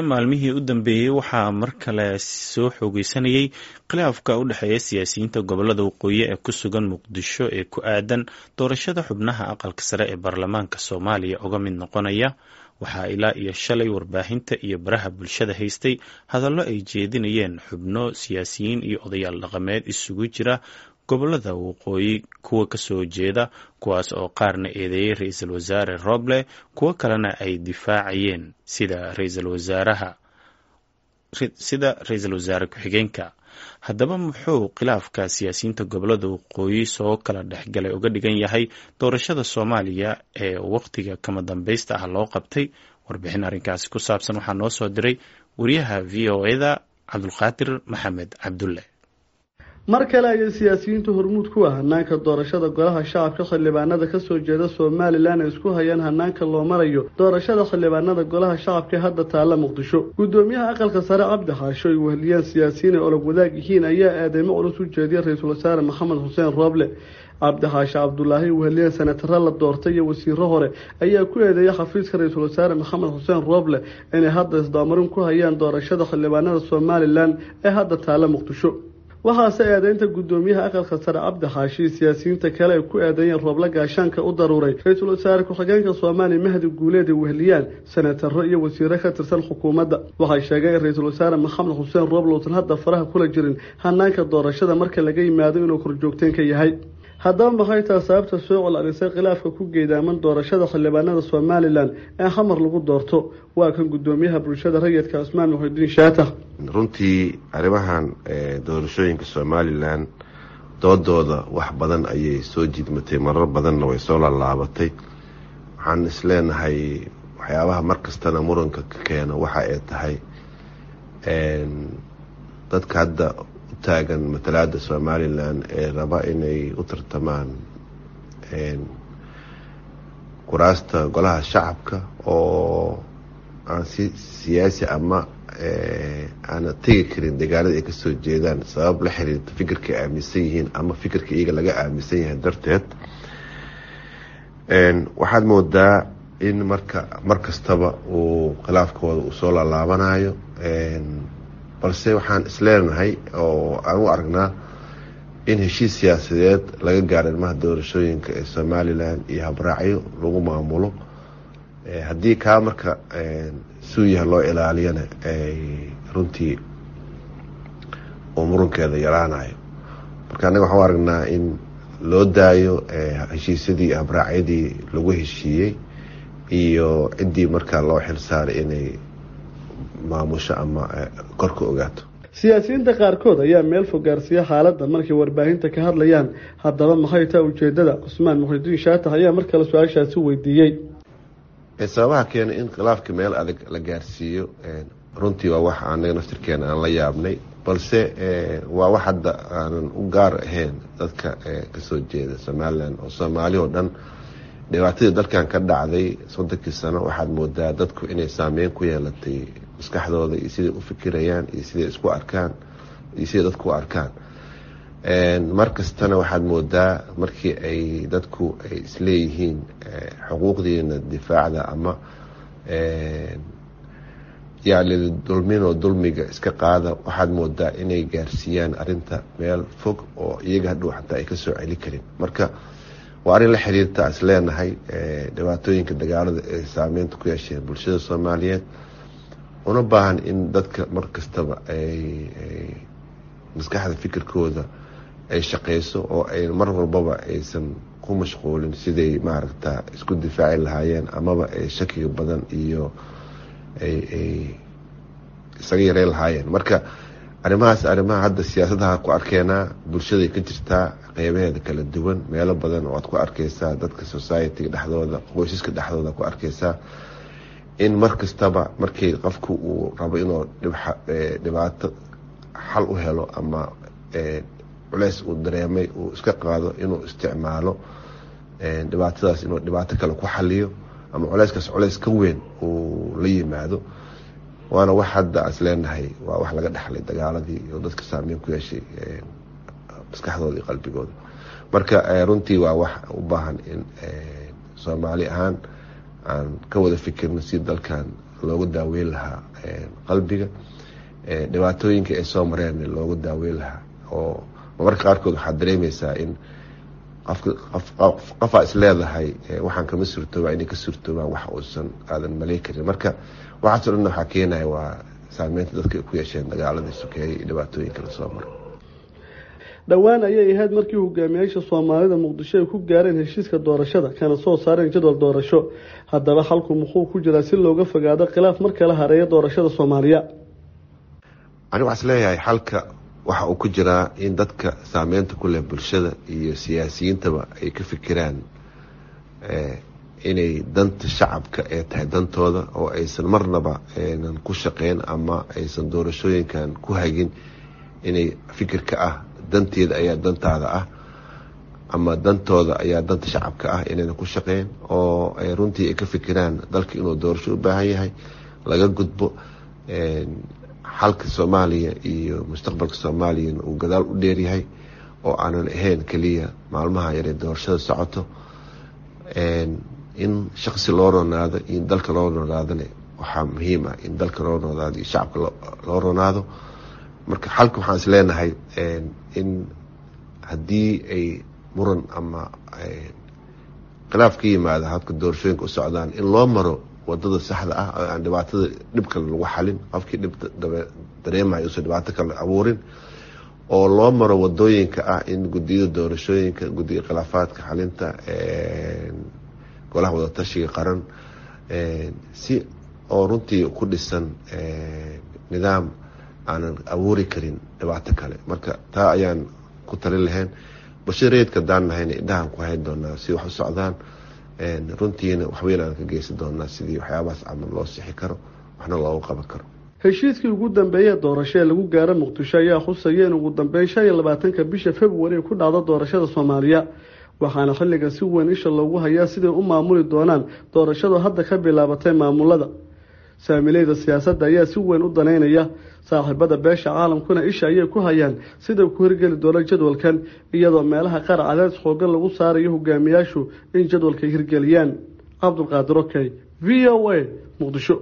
Maalmihii u dambeeyey waxaa mar kale soo xoogeysanayay khilaafka u dhexeeya siyaasiyiinta gobolada waqooyi ee ku sugan Muqdisho ee ku aadan doorashada xubnaha aqalka sare ee baarlamaanka Soomaaliya uga mid noqonaya. Waxaa ilaa iyo shalay warbaahinta iyo baraha bulshada haystay hadallo ay jeedinayeen xubno siyaasiyiin iyo odayaal dhaqameed isugu jira gobolada waqooyi kuwa kasoo jeeda, kuwaas oo qaarna eedeeyay ra-iisul wasaare Roble, kuwo kalena ay difaacayeen sida ra-iisul wasaare ku-xigeenka. Haddaba muxuu khilaafka siyaasiyiinta gobolada waqooyi soo kala dhexgalay uga dhigan yahay doorashada Soomaaliya ee waqtiga kama dambaysta ah loo qabtay? Warbixin arrinkaasi ku saabsan waxaa noo soo diray wariyaha VOA-da Cabdulqaadir Maxamed Cabdulle. Mar kale ayay siyaasiyiinta hormuud ku ah hanaanka doorashada golaha shacabka xildhibaanada kasoo jeeda Somalilan ay isku hayaan hanaanka loo marayo doorashada xildhibaanada golaha shacabka hadda taalla Muqdisho. Guddoomiyaha aqalka sare Cabdi Xaasho ay weheliyaan siyaasiyiin ay olog wadaag yihiin ayaa eedeymo culus u jeediyay ra-iisul wasaare Maxamed Xuseen Rooble. Cabdi Xaashi Cabdulaahi weheliyeen senataro la doortay iyo wasiiro hore ayaa ku eedeeyay xafiiska ra-iisul wasaare Maxamed Xuseen Rooble inay hadda isdabamarin ku hayaan doorashada xildhibaanada Somalilan ee hadda taalla Muqdisho. Waxaase eedeynta guddoomiyaha aqalka sare Cabdi Xaashi siyaasiyiinta kale ay ku eedeeyeen Rooble gaashaanka u daruuray ra-iisul wasaare ku-xigeenka Soomaaliya Mahdi Guuleed ay weheliyaan senataro iyo wasiiro ka tirsan xukuumadda. Waxay sheegeen in ra-iisul wasaare Maxamed Xuseen Rooble uusan hadda faraha kula jirin hanaanka doorashada marka laga yimaado inuu korjoogteen ka yahay. Haddaba maxay taa sababta soo celcelisay khilaafka ku geedaaman doorashada xildhibaanada Somalilan ee xamar lagu doorto? Waa kan guddoomiyaha bulshada rayidka Cusmaan Muxidiin Shaatax. Runtii arrimahan doorashooyinka Somalilan doodooda wax badan ayay soo jiidmatay, marar badanna way soo laalaabatay. Waxaan isleenahay waxyaabaha mar kastana muranka ka keena waxa ay tahay dadka hadda u taagan matalaada Somalilan ee raba inay u tartamaan kuraasta golaha shacabka oo aan si siyaasi ama aana tegi karin deegaanada ay kasoo jeedaan sabab la xiriirta fikirka ay aaminsan yihiin ama fikirka iyaga laga aaminsan yahay darteed. Waxaad moodaa in marka mar kastaba uu khilaafkooda uu soo laalaabanayo, balse waxaan isleenahay oo aan u aragnaa in heshiis siyaasadeed laga gaaro ilmaha doorashooyinka ee Somalilan iyo habraacyo lagu maamulo. Haddii kaa marka suuyaha loo ilaaliyana runtii uu murankeeda yaraanayo. Marka annaga waxaan u aragnaa in loo daayo heshiisyadii iyo habraacyadii lagu heshiiyey iyo ciddii markaa loo xil saaray inay maamusho ama kor ka ogaato. Siyaasiyiinta qaarkood ayaa meel fog gaarsiiya xaaladda markay warbaahinta ka hadlayaan. Haddaba maxay taa ujeedada? Cusmaan Muxidiin Shaatax ayaa mar kale su-aashaasi weydiiyey. Sababaha keenay in khilaafka meel adag la gaarsiiyo runtii waa wax anaga naftirkeena aan la yaabnay, balse waa wax hadda aanan u gaar ahayn dadka kasoo jeeda Somalilan oo Soomaali oo dhan. Dhibaatadii dalkan ka dhacday 30kii sano waxaad moodaa dadku inay saameyn ku yeelatay maskaxdooda iyo siday u fikirayaan iyo siday isku arkaan iyo siday dadku u arkaan. Mar kastana waxaad moodaa markii ay dadku ay isleeyihiin xuquuqdiina difaacda ama yacni dulminoo dulmiga iska qaada, waxaad moodaa inay gaarsiiyaan arrinta meel fog oo iyaga hadhow xataa ay kasoo celi karin. Marka waa arrin la xiriirta is leenahay dhibaatooyinka dagaalada ee saameynta ku yeesheen bulshada Soomaaliyeed, una baahan in dadka mar kastaba ay maskaxda fikirkooda ay shaqeyso oo ay mar walbaba aysan ku mashquulin siday maaragta isku difaaci lahaayeen amaba ay shakiga badan iyo ay isaga yareyn lahaayeen. Marka arrimahaas arrimaha hadda siyaasadaha ku arkeenaa bulshaday ka jirtaa qeybaheeda kala duwan, meelo badan oo aad ku arkeysaa dadka society-ga dhexdooda, qoysaska dhexdooda ku arkeysaa in mar kastaba markii qofku uu rabo inuu dhibaato xal u helo ama culeys uu dareemay uu iska qaado, inuu isticmaalo dhibaatadaas inuu dhibaato kale ku xaliyo ama culeyskaas culeys ka weyn uu la yimaado. Waana wax hadda is leenahay waa wax laga dhexlay dagaaladii iyo dadka saameyn ku yeeshay maskaxdooda iyo qalbigooda. Marka runtii waa wax u baahan in Soomaali ahaan aan ka wada fikirno si dalkan loogu daaweyn lahaa qalbiga, dhibaatooyinka ay soo mareen loogu daaweyn lahaa. Oo marmarka qaarkood waxaad dareemeysaa in qofaa is leedahay waxaan kama suurtoobaa, inay ka suurtoobaan wax uusan aadan maley karin. Marka waxaasoo dhan waxaa keenaya waa saameynta dadka ay ku yeesheen dagaaladii sokeeye iyo dhibaatooyinka lasoo maray. Dhowaan ayay ahayd markii hogaamiyaasha Soomaalida Muqdisho ay ku gaareen heshiiska doorashada, kana soo saareen jadwal doorasho. Haddaba xalku muxuu ku jiraa si looga fogaado khilaaf mar kala hareeya doorashada Soomaaliya? Aniga waxaa is leeyahay xalka waxa uu ku jiraa in dadka saameynta ku leh bulshada iyo siyaasiyiintaba ay ka fikiraan inay danta shacabka ee tahay dantooda, oo aysan marnaba aynan ku shaqeyn ama aysan doorashooyinkan ku hagin inay fikirka ah danteeda ayaa dantaada ah ama dantooda ayaa danta shacabka ah, inayna ku shaqeyn, oo ay runtii ay ka fikiraan dalka inuu doorasho u baahan yahay, laga gudbo xalka Soomaaliya iyo mustaqbalka Soomaaliyana uu gadaal u dheeryahay, oo aanan ahayn keliya maalmaha yaree doorashada socoto. In shaqsi loo ronaado iyo in dalka loo ronaadona waxaa muhiim ah in dalka loo ronaado iyo shacabka loo ronaado. Marka xalka waxaan is leenahay in haddii ay muran ama khilaaf ka yimaado habka doorashooyinka u socdaan, in loo maro wadada saxda ah oo aan dhibaatada dhib kale lagu xalin, qofkii dhib dareemayo uusan dhibaato kale abuurin, oo loo maro wadooyinka ah in guddiyada doorashooyinka, guddiga khilaafaadka xalinta, golaha wadatashiga qaran, si oo runtii ku dhisan nidaam aanan abuuri karin dhibaato kale. Marka taa ayaan ku talin lahayn. Bulshada rayidka haddaan nahayna indhahaan ku hayn doonaa si wax u socdaan, runtiina waxweyn aan ka geysan doonaa sidii waxyaabahaas camal loo sixi karo waxna loogu qaban karo. Heshiiskii ugu dambeeyey doorasho ee lagu gaaro Muqdisho ayaa khusaya in ugu dambeyn 25-ka bisha Februari ku dhacdo doorashada Soomaaliya, waxaana xilligan si weyn isha loogu hayaa siday u maamuli doonaan doorashadu hadda ka bilaabatay maamulada. Saamileyda siyaasadda ayaa si weyn u daneynaya, saaxiibada beesha caalamkuna isha ayay ku hayaan siday ku hirgeli doona jadwalkan, iyadoo meelaha qaar cadaadis xoogan lagu saarayo hogaamiyaashu in jadwalka hirgeliyaan. Cabdulqaadir Okey, V O A, Muqdisho.